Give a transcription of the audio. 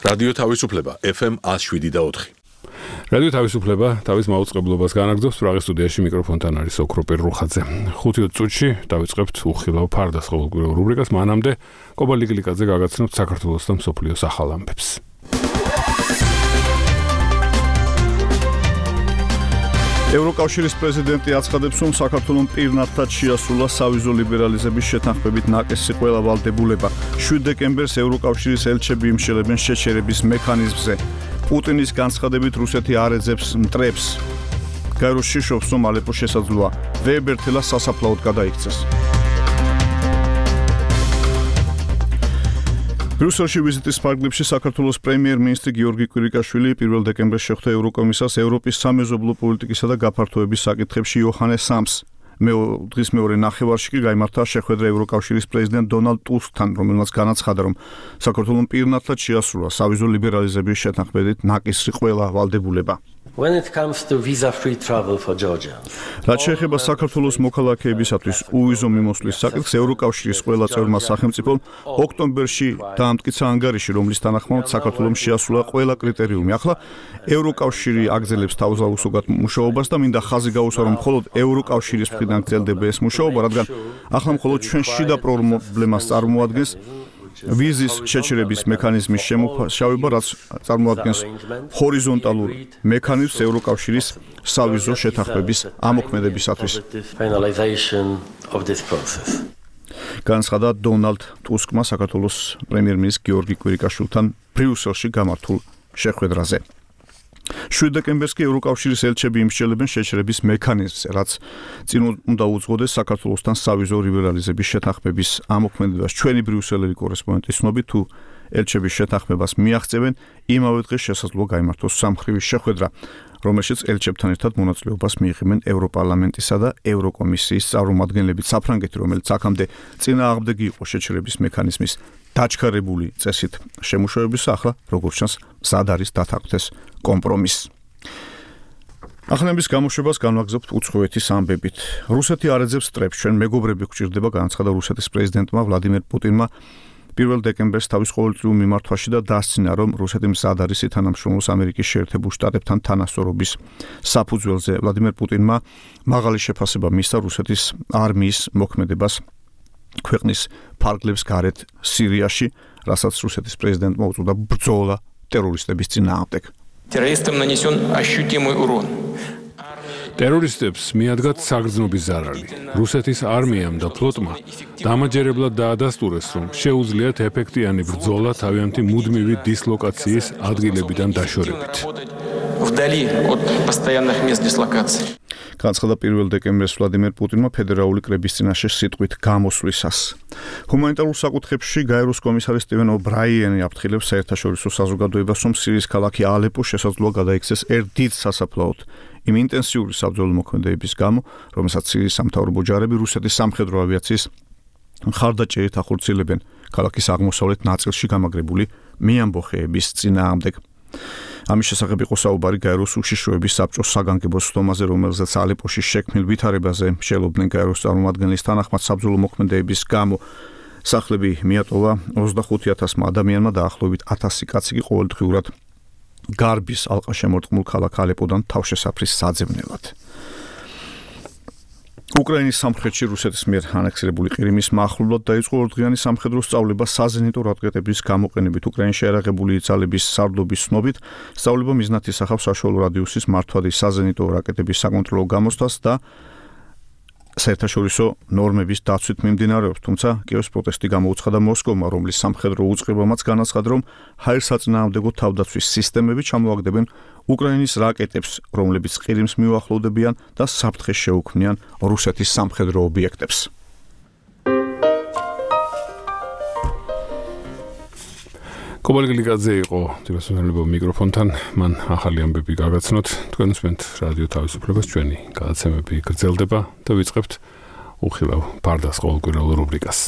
რადიო თავისუფლება FM 107.4. რადიო თავისუფლება თავის მაუწყებლობას განაგრძობს პრაღის სტუდიაში მიკროფონთან არის ოქროპერ რუხაძე. 5 წუთში დავიწყებთ უხილავ ფარდას ყოველკვირეულ რუბრიკას. მანამდე კობალ ლიგლიკაძე გაგაცნობთ საქართველოს და მსოფლიოს ახალ ამბებს. ევროკავშირის პრეზიდენტი აცხადებს, რომ საქართველოს პირნათლად შეასრულა სავიზო ლიბერალიზების შეთანხმებით ნაკისი ყველა ვალდებულება. 7 დეკემბერს ევროკავშირის ელჩები იმშელებენ შეჩერების მექანიზმზე. პუტინის განცხადებით რუსეთი არ ეძებს მტრებს. გაეროს შიშობს, რომ ალეპო შესაძლოა ვეებერთელა სასაფლაოდ გადაიქცეს. ბრიუსელში ვიზიტის ფარგლებში საქართველოს პრემიერ-მინისტრი გიორგი კვირიკაშვილი 1 დეკემბერს შეხვდა ევროკომისარს ევროპის სამეზობლო პოლიტიკისა და გაფართოების საკითხებში იოჰანეს სამს. დღის მეორე ნახევარში კი გაიმართა შეხვედრა ევროკავშირის პრეზიდენტ დონალდ ტუსკთან, რომელმაც განაცხადა, რომ საქართველოს პირნათლად შეასრულა სავიზო ლიბერალიზების შეთანხმებით ნაკისი ყველა ვალდებულება. When it comes to visa-free travel for Georgia. რაც შეეხება საქართველოს მოქალაქეებისათვის უვიზო მიმოსვლის საკითხს, ევროკავშირის ყველა წევრმა სახელმწიფომ ოქტომბერში დაამტკიცა ანგარიში, რომლის თანახმად საქართველოს შეასრულა ყველა კრიტერიუმი. ახლა ევროკავშირი აგრძელებს თავზაუსოგად მუშაობას და მინდა ხაზი გაუსვა, რომ მხოლოდ ევროკავშირის მხრიდან გრძელდება ეს მუშაობა, რადგან ახლა მხოლოდ ჩვენ შიდა პრობლემას წარმოადგენს ვიზის შეჩერების მექანიზმის შემოშავება, რაც წარმოადგენს ჰორიზონტალურ მექანიზმს ევროკავშირის სავიზო შეთანხმების ამოქმედებისათვის. განაცხადა დონალდ ტუსკმა საქართველოს პრემიერ-მინისტრ გიორგი კვირიკაშვილთან ბრიუსელში გამართულ შეხვედრაზე. 7 დეკემბერს კი ევროკავშირის ელჩები იმსჯელებენ შეჩერების მექანიზმზე, რაც წინ უნდა უძღოდეს საქართველოსთან სავიზო ლიბერალიზების შეთანხმების ამოქმედებას. ჩვენი ბრიუსელელი კორესპონდენტის ცნობით, თუ ელჩების შეთანხმებას მიაღწევენ, იმავე დღეს შესაძლოა გაიმართოს სამხრივი შეხვედრა, რომელშიც ელჩებთან ერთად მონაწილეობას მიიღებენ ევროპარლამენტისა და ევროკომისიის წარმომადგენლები. საფრანგეთი, რომელიც აქამდე წინააღმდეგი იყო შეჩერების მექანიზმის დაჩქარებული წესით შემუშავების, ახლა როგორც ჩანს მზად არის დათანხმდეს კომპრომისს. ახალების გამოშვებას განვაგრძობთ უცხოეთის ამბებით. რუსეთი არ ეძებს მტრებს, ჩვენ მეგობრები გვჭირდება, განაცხადა რუსეთის პრეზიდენტმა ვლადიმერ პუტინმა 1 დეკემბერს თავის ყოველწლიურ მიმართვაში და დასცინა, რომ რუსეთი მზად არის ითანამშრომლოს ამერიკის შეერთებულ შტატებთან თანასწორობის საფუძველზე. ვლადიმერ პუტინმა მაღალი შეფასება მისცა რუსეთის არმიის მოქმედებას ქვეყნის ფარგლებს გარეთ სირიაში, რასაც რუსეთის პრეზიდენტმა უწოდა ბრძოლა ტერორისტების წინააღმდეგ. ტერორისტებს მიადგათ საგრძნობი ზარალი. რუსეთის არმიამ და ფლოტმა დამაჯერებლად დაადასტურეს, რომ შეუძლიათ ეფექტიანი ბრძოლა თავიანთი მუდმივი დისლოკაციის ადგილებიდან დაშორებით. განაცხადა 1 დეკემბერს ვლადიმერ პუტინმა ფედერალური კრების წინაშე სიტყვით გამოსვლისას. ჰუმანიტარულ საკითხებში გაეროს კომისარი სტივენ ობრაიანი აფრთხილებს საერთაშორისო საზოგადოებას, რომ სირიის ქალაქი ალეპო შესაძლოა გადაიქცეს ერთ დიდ სასაფლაოდ იმ ინტენსიური საბრძოლო მოქმედებების გამო, რომელსაც სირიის სამთავრობო ჯარები რუსეთის სამხედრო ავიაციის მხარდაჭერით ახორციელებენ ქალაქის აღმოსავლეთ ნაწილში გამაგრებული მეამბოხეების წინააღმდეგ. ამის შესახებ იყო საუბარი გაეროს უშიშროების საბჭოს საგანგებო სხდომაზე, რომელზეც ალეპოში შექმნილ ვითარებაზე მსჯელობდნენ გაეროს წარმომადგენლის თანახმად საბრძოლო მოქმედებების გამო სახლები მიატოვა 25,000 ადამიანმა და ახლობით 1000 კაცი კი ყოველდღიურად გარბის ალყაშემორტყმულ ქალაქ ალეპოდან თავშესაფრის საძებნელად. უკრაინის სამხრეთში რუსეთის მიერ ანექსირებული ყირიმის მახლობლად დაიწყო ორდღიანი სამხედრო სწავლება საზენიტო რაკეტების გამოყენებით. უკრაინაში აერაღებული ძალების სარდლობის ცნობით სწავლება მიზნად ისახავს საშუალო რადიუსის მართვადი საზენიტო რაკეტების საკონტროლო გამოსვლას და საერთაშორისო ნორმების დაცვით მიმდინარეობს, თუმცა კიევს პროტესტი გამოუცხადა მოსკოვმა, რომლის სამხედრო უწყებამაც განაცხადა, რომ ჰაერსაწინააღმდეგო თავდაცვის სისტემები ჩამოაგდებენ უკრაინის რაკეტებს, რომლებიც ყირიმს მიუახლოვდებიან და საფრთხეს შეუქმნიან რუსეთის სამხედრო ობიექტებს. კობალ ლიგლიკაძე იყო თვითმფრინალებო მიკროფონთან, მან ახალი ამბები გაგაცნოთ. თქვენ უსმენთ რადიო თავისუფლებას, ჩვენი გადაცემები გრძელდება და ვიწყებთ უხილავ ფარდას ყოველკვირეულ რუბრიკას.